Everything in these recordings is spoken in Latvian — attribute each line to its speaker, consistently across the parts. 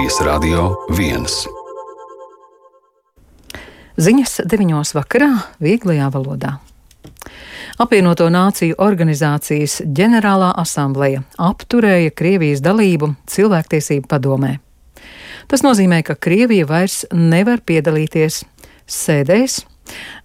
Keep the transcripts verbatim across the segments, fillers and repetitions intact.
Speaker 1: Latvijas Radio viens.
Speaker 2: Ziņas deviņos vakarā vieglajā valodā. Apvienoto Nāciju organizācijas ģenerālā asambleja apturēja Krievijas dalību cilvēktiesību padomē. Tas nozīmē, ka Krievija vairs nevar piedalīties sēdēs,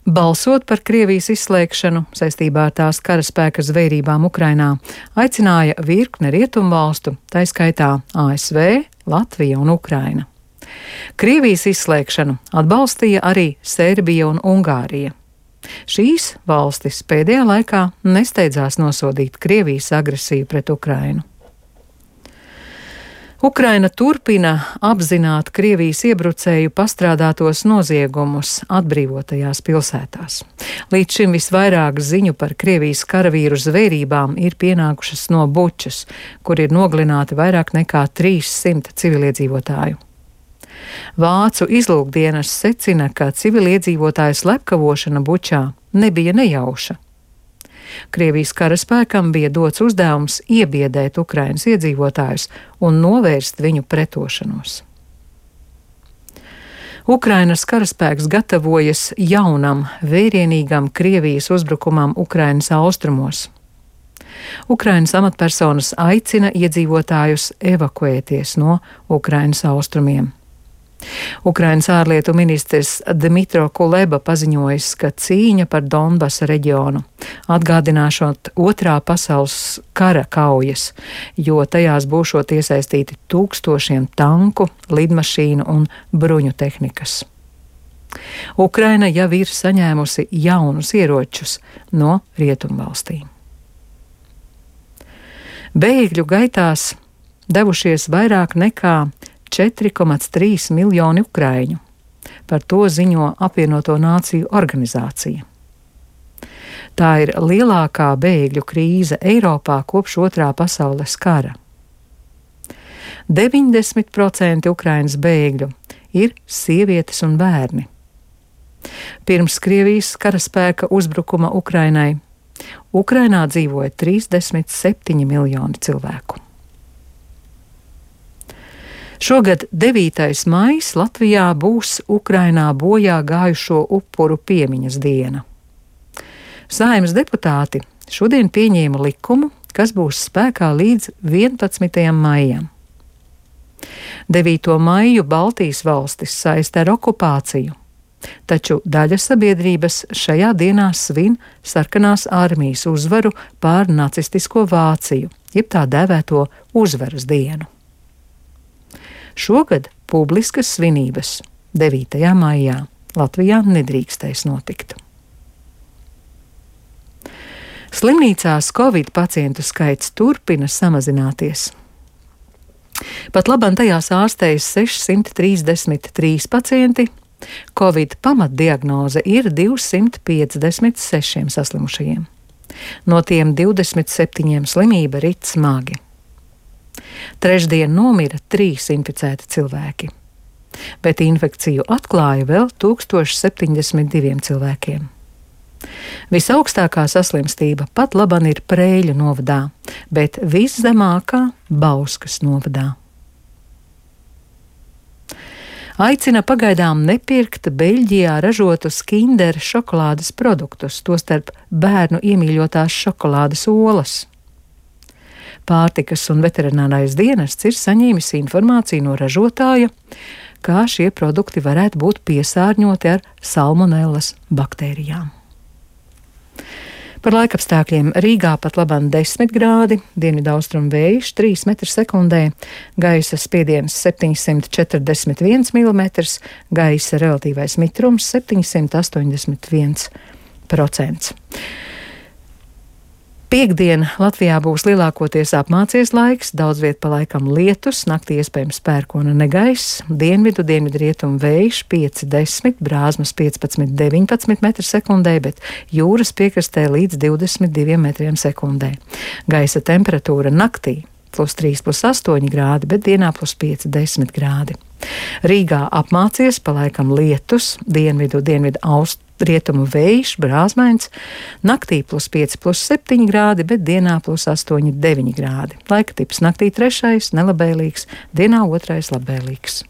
Speaker 2: balsot par Krievijas izslēgšanu saistībā ar tās karaspēka zvērībām Ukrainā, aicināja virkne rietumvalstu, tā skaitā A S V, Latvija un Ukraina. Krievijas izslēgšanu atbalstīja arī Serbija un Ungārija. Šīs valstis pēdējā laikā nesteidzās nosodīt Krievijas agresiju pret Ukrainu. Ukraina turpina apzināt Krievijas iebrucēju pastrādātos noziegumus atbrīvotajās pilsētās. Līdz šim visvairāk ziņu par Krievijas karavīru zvērībām ir pienākušas no Bučas, kur ir nogalināti vairāk nekā trīssimti civiliedzīvotāju. Vācu izlūkdienas secina, ka civiliedzīvotāju slepkavošana Bučā nebija nejauša. Krievijas karaspēkam bija dots uzdevums iebiedēt Ukrainas iedzīvotājus un novērst viņu pretošanos. Ukrainas karaspēks gatavojas jaunam, vērienīgam Krievijas uzbrukumam Ukrainas austrumos. Ukrainas amatpersonas aicina iedzīvotājus evakuēties no Ukrainas austrumiem. Ukrainas ārlietu ministrs Dmitro Kuleba paziņojis, ka cīņa par Donbasa reģionu atgādināšot otrā pasaules kara kaujas, jo tajās būšot iesaistīti tūkstošiem tanku, lidmašīnu un bruņu tehnikas. Ukraina jau ir saņēmusi jaunus ieročus no rietumvalstīm. Bēgļu gaitās devušies vairāk nekā četri komats trīs miljoni ukraiņu. Par to ziņo Apvienoto Nāciju organizācija. Tā ir lielākā bēgļu krīze Eiropā kopš otrā pasaules kara. deviņdesmit procenti Ukrainas bēgļu ir sievietes un bērni. Pirms Krievijas karaspēka uzbrukuma Ukrainai, Ukrainā dzīvoja trīsdesmit septiņi miljoni cilvēku. Šogad devītais maijs Latvijā būs Ukrainā bojā gājušo upuru piemiņas diena. Saeimas deputāti šodien pieņēma likumu, kas būs spēkā līdz vienpadsmitajam maijam. devīto maiju Baltijas valstis saista ar okupāciju, taču daļa sabiedrības šajā dienā svin sarkanās armijas uzvaru pār nacistisko Vāciju, jeb tā dēvēto uzvaras dienu. Šogad publiskas svinības devītajā maijā Latvijā nedrīkstēs notikt. Slimnīcās Covid pacientu skaits turpina samazināties. Pat labam tajās ārstējas sešsimt trīsdesmit trīs pacienti, Covid pamatdiagnoze ir divsimt piecdesmit seši saslimušajiem. No tiem divdesmit septiņiem slimība rit smagi. Trešdien nomira trīs inficēti cilvēki, bet infekciju atklāja vēl tūkstoš septiņdesmit diviem cilvēkiem. Visaugstākā saslimstība pat laban ir Preiļu novadā, bet viszemākā Bauskas novadā. Aicina pagaidām nepirkt Beļģijā ražotus Kinder šokolādes produktus, tostarp bērnu iemīļotās šokolādes olas. Pārtikas un veterinārais dienests ir saņēmis informāciju no ražotāja, kā šie produkti varētu būt piesārņoti ar salmonellas baktērijām. Par laikapstākļiem Rīgā pat labam desmit grādi, dienvidaustrumu vējš trīs metri sekundē, gaisa spiediens septiņsimt četrdesmit viens milimetrs, gaisa relatīvais mitrums septiņsimt astoņdesmit viens procents. Piektdien Latvijā būs lielākoties apmācies laiks, daudz viet pa laikam lietus, naktī iespējams pērkona negaiss, dienvidu, dienvidrietumu vējš pieci desmit, brāzmas piecpadsmit deviņpadsmit metri sekundē, bet jūras piekrastē līdz divdesmit diviem metriem sekundē. Gaisa temperatūra naktī plus trīs, plus astoņi grādi, bet dienā plus pieci, desmit grādi. Rīgā apmācies, pa laikam lietus, dienvidu, dienvidu austrumu. Rietumu vējš, brāzmains, naktī plus pieci, plus septiņi grādi, bet dienā plus astoņi, deviņi grādi. Laika tips naktī trešais, nelabēlīgs, dienā otrais labēlīgs.